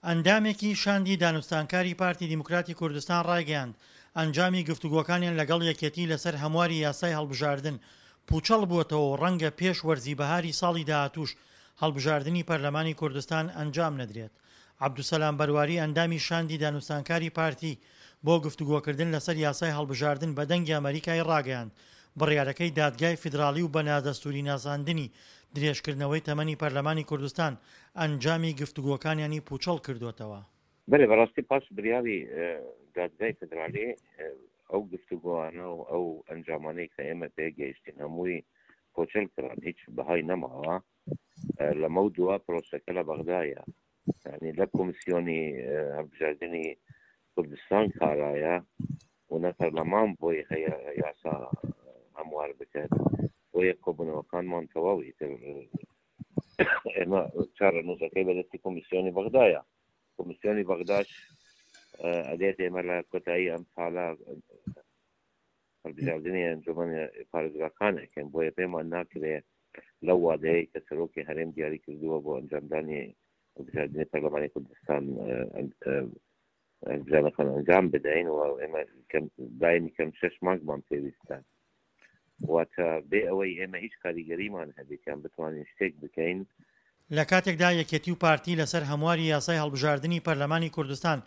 ئەندامێکی شاندی دانوستانکاری پارتی دیموکراتی کوردستان ڕایگەیاند، ئەنجامی گفتوگۆکانیان لەگەڵ یەکێتی لەسەر هەمواری یاسای هەڵبژاردن پووچەڵ بووەتەوە و ڕەنگە پێش وەرزی بەهاری ساڵی داهاتووش هەڵبژاردنی پەرلەمانی کوردستان ئەنجام نەدرێت. عەبدولسەلام بەرواری ئەندامی شاندی دانوستانکاری پارتی بۆ گفتوگۆکردن لەسەر یاسای هەڵبژاردن بە دەنگی ئەمەریکای ڕاگەیاند، بڕیارەکەی دادگای فیدراڵی و بە نادەستووری ناساندنی درێژکردنەوەی تەمەنی پەرلەمانی کوردستان ئەنجامی گفتوگۆکانیانی پوچەڵ کردۆتەوە. بەلێ بەڕاستی پاش بریاری دادگای فیدرالی ئەو گفتوگۆانە و ئەو ئەنجامانەی کە ئێمە پێ گەیشتین هەمووی پۆچەل کران هیچ بەهای نەماوە لەمەو دوا پرۆسەکە لە بەغدایە یعنی لە کۆمسیۆنی هەڵبژاردنی کوردستان کارایە و نە پەرلەمان بۆی هەیە یاسا هەموار بکات بۆیە کۆبوونەوەکانمان تەواو ئیتر ئێمە چارەنووسەکەی بەدەستی کۆمیسیۆنی بەغدایە کۆمیسیۆنی بەغداش ئەدێت ئێمە لە کۆتایی ئەم ساڵە هەڵبژاردنی ئەنجومەن پارێزگاکان ئەکەین بۆیە پێمان ناکرێ لەو وادەیە کە سەرۆکی هەرێم دیاری کردووە بۆ ئەنجامدانی هەڵبژاردنی پەرلەمانی کوردستان هەڵبژاردنەکان ئەنجام بدەین و ئێمە کەم دایمی کەم شەش مانگمان پێویستە واتە بێ ئەوەی ئێمە هیچ کاریگەریمان هەبێت یان بتوانین شتێک بکەین. لە کاتێکدا یەکێتی و پارتی لەسەر هەمواری یاسای هەڵبژاردنی پەرلەمانی کوردستان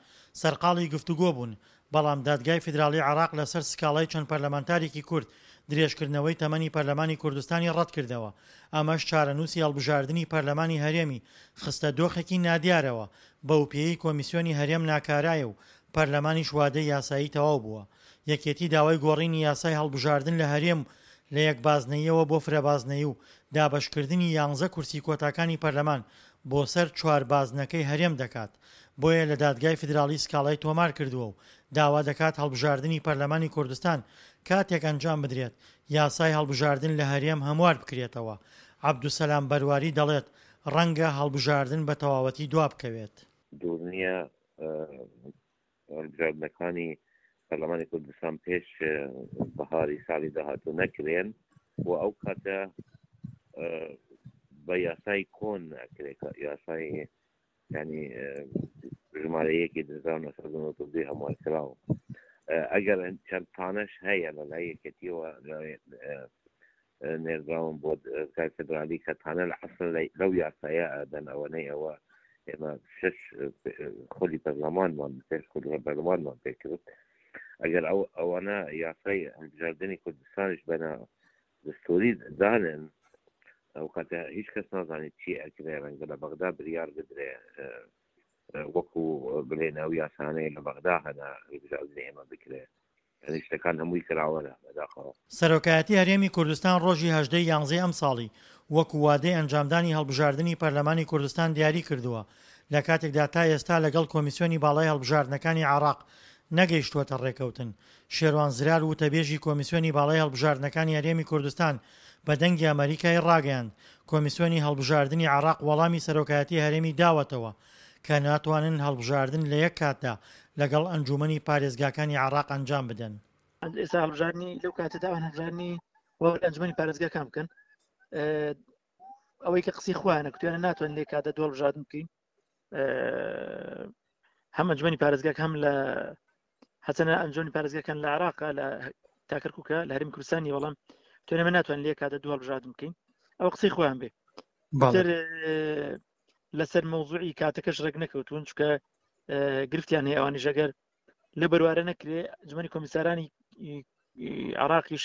سەرقاڵی گفتوگۆ بوون، بەڵام دادگای فیدراڵی عێراق لەسەر سکاڵای چەند پەرلەمانتارێکی کورد درێژکردنەوەی تەمەنی پەرلەمانی کوردستانی ڕەتکردەوە، ئەمەش چارەنووسی هەڵبژاردنی پەرلەمانی هەرێمی خستە دۆخێکی نادیارەوە، بەوپێیەی کۆمیسیۆنی هەرێم ناکارایە و پەرلەمانیش وادەی یاسایی تەواو بووە. یەکێتی داوای گۆڕینی یاسای هەڵبژاردن لە هەرێم لە یەک بازنەییەوە بۆ فرەبازنەیی و دابەشکردنی یانزە کورسی کۆتاکانی پەرلەمان بۆ سەر چوار بازنەکەی هەرێم دەکات، بۆیە لە دادگای فیدراڵی سکاڵای تۆمار کردووە و داوا دەکات هەڵبژاردنی پەرلەمانی کوردستان کاتێک ئەنجام بدرێت یاسای هەڵبژاردن لە هەرێم هەموار بکرێتەوە. عەبدولسەلام بەرواری دەڵێت، ڕەنگە هەڵبژاردن بە تەواوەتی دوابکەوێت. دوور نییە هەڵبژاردنەکانی پەرلەمانی کوردستان پێش بەهاری ساڵی داهاتوو نەکرێن و ئەو کاتە بە یاسای کۆن ناکرێت یاسای ینی ژمارە یەکی 1992 هەموار کراوە ئەگەر چەند تانەش هەیە لە لای یەکێتیەوە نێردراون بۆ دادگای فیدرالی کە تانە لە ئەسڵ لەو یاسایە ئەدەن ئەوەنەی ئەوە ئێمە شش خولی پەرلەمانمان پێش خولی پەرلەمانمان پێکرد ئەگەر ئەو ئەوانە یاسای هەڵبژاردنی کوردستانیش بەنە دەستوری دانن ئەو کاتە هیچ کەس نازانێت چی ئەکرێ ڕەنگە لە بەغدا بریار بدرێ وەکو بڵێن ئەو یاسانەیە لە بەغدا هەنا هەڵبژاردنی ئێمە بکرێ یانی شتەکان هەمووی کراوەنە بەداخەوە. سەرۆکایەتی هەرێمی کوردستان ڕۆژی 18 ی یانزەی ئەمساڵی وەکو وادەی ئەنجامدانی هەڵبژاردنی پەرلەمانی کوردستان دیاری کردووە، لە کاتێکدا تا ئێستا لەگەڵ کۆمیسیۆنی باڵای هەڵبژاردنەکانی عێراق نەگەیشتووەتە ڕێکەوتن. شێروان زرار وتەبێژی کۆمیسیۆنی باڵای هەڵبژاردنەکانی هەرێمی کوردستان بە دەنگی ئەمەریکای ڕاگەیاند، کۆمیسیۆنی هەڵبژاردنی عێراق وەڵامی سەرۆکایەتی هەرێمی داوەتەوە کە ناتوانن هەڵبژاردن لە یەک کاتدا لەگەڵ ئەنجوومەنی پارێزگاکانی عێراق ئەنجام بدەن. ئێستا هەڵبژاردنی لەو کاتەدا ئەوان هەڵبژاردنی وەک ئەنجومەنی پارێزگاکان بکەن ئەوەی کە قسەی خۆیانە کوتیانە ناتوانن لێ کاتە دوو هەڵبژاردن بکەین هەم ئەنجومەنی پارێزگاکە هەم لە هەچەنە ئەنجومەنی پارێزگاکان لە عراق لە تاکەرکوکە لە هەرێمی کوردستانی بەڵام توێنە من ناتوان لێ کاتە دوو هەڵبژاردن بکەین ئەو قسەی خۆیان بێ تر لەسەر مەوزوعی کاتەکەش ڕێک نەکەوتون چکە گرفتیان هەیە ئەوانیش ئەگەر لە بەروارە نەکرێ ئەنجومەنی کۆمیسارانی عراقیش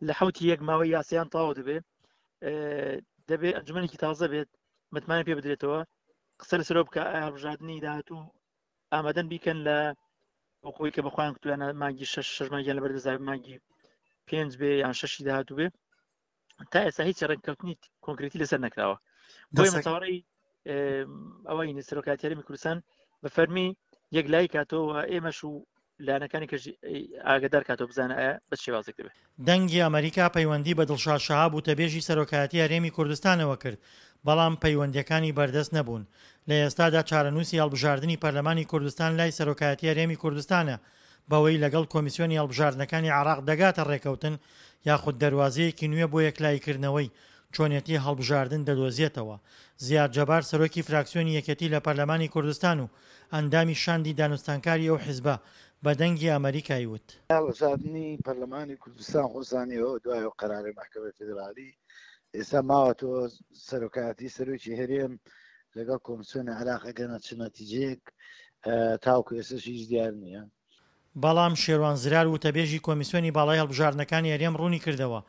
لە حوتی یەک ماوەی یاسیان تەواو دەبێ دەبێ ئەنجومەنێکی تازە بێت متمانە پێ بدرێتەوە قسە لەسەرەوە بکە ئایا هەڵبژاردنی داهاتوو ئامادەن بیکەن لە خۆی کە بەخۆیان کوتویانە مانگی شەش شەش مانگیان لەبەر دەزای مانگی پێنج بێ یان شەشی داهاتوو بێ تا ئێستا هیچ ڕێککەوتنی کۆنکرێتی لەسەر نەکراوە بۆیە مەچاوەڕێی ئەوەی سەرۆکایەتی هەرێمی کوردستان بە فەرمی یەکلایی کاتەوە ئێمەش و لایەنەکانی کەش ئاگدار کاتەوە بزانە ئایا بە شێوازێک دەبێت. دەنگی ئەمەریکا پەیوەندی بە دڵشاد شەهاب وتەبێژی سەرۆکایەتی هەرێمی کوردستانەوە کرد، بەڵام پەیوەندییەکانی بەردەست نەبوون. لە ئێستادا چارەنووسی هەڵبژاردنی پەرلەمانی کوردستان لای سەرۆکایەتی هەرێمی کوردستانە، بەوەی لەگەڵ کۆمیسیۆنی هەڵبژاردنەکانی عێراق دەگاتە ڕێکەوتن یاخود دەروازەیەکی نوێ بۆ یەکلاییکردنەوەی چۆنێتی هەڵبژاردن دەدۆزێتەوە. زیاد جەبار سەرۆکی فراکسیۆنی یەکێتی لە پەرلەمانی کوردستان و ئەندامی شاندی دانوستانکاری ئەو حزبە بە دەنگی ئەمەریکای وت. هەڵبژاردنی پەرلەمانی کوردستان خۆزانیەوە دوای ئەو قەرارەی مەحکەمەی فیدرالی ئێستا ماوەتەوە سەرۆکایەتی سەرۆکی هەرێم لەگەڵ کۆمسیۆنی عێراق ئەگەنە چ نەتیجەیەک تاوەکو ئێستاش هیچ دیار نییە. بەڵام شێروان زرار وتەبێژی کۆمیسیۆنی باڵای هەڵبژاردنەکانی هەرێم ڕوونیکردەوە،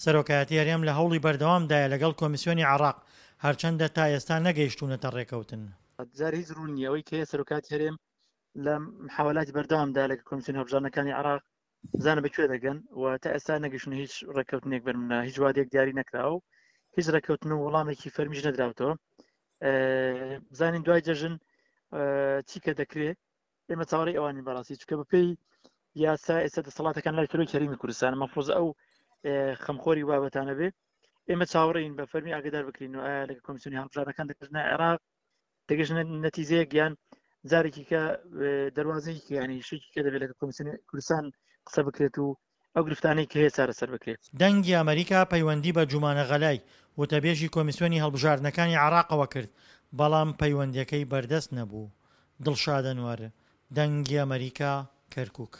سەرۆکایەتی هەرێم لە هەوڵی بەردەوامدایە لەگەڵ کۆمیسیۆنی عێراق، هەرچەندە تا ئێستا نەگەیشتوونەتە ڕێکەوتن. جار هیچ ڕوون نییە، ئەوەی کە هەیە سەرۆکایەتی هەرێم لە محاولاتی بەردەوامدایە لەگەڵ کۆمیسیۆنی هەڵبژاردنەکانی عێراق، بزانە بە کوێ دەگەن و تا ئێستا نەگەیشتوونە هیچ ڕێککەوتنێک بەرمنە هیچ وادەیەک دیاری نەکراوە و هیچ ڕێککەوتن و وەڵامێکی فەرمیش نەدراوتەوە. بزانین دوای جەژن چی کە دەکرێت. ئێمە چاوەڕێی ئەوانین بەڕاستی چونکە بەپێی یاسا ئێستا دەسەڵاتەکان لای سەرۆکی هەرێمی کوردستان مەفروض ئەو خەمخۆری بابەتانە بێ ئێمە چاوەڕێین بە فەرمی ئاگدار بکرین و ئایا لەگە کۆمیسیۆنی هەڵبژاردنەکان دەگەژنە عێراق دەگەژنە نەتیجەیەک یان جارێکی کە دەواازەیەکی ینی شتێکی کە دەبێت لەگە کۆمیسیۆنی کوردستان قسە بکرێت و ئەو گرفتانەی کە هەیە چارەسەر بکرێت. دەنگی ئەمەریکا پەیوەندی بە جومانە غەلای، وتەبێژی کۆمیسیۆنی هەڵبژاردنەکانی عێراقەوە کرد، بەڵام پەیوەندیەکەی بەردەست نەبوو. دڵشاد ئەنوەر، دەنگی ئەمەریکا، کەرکوک.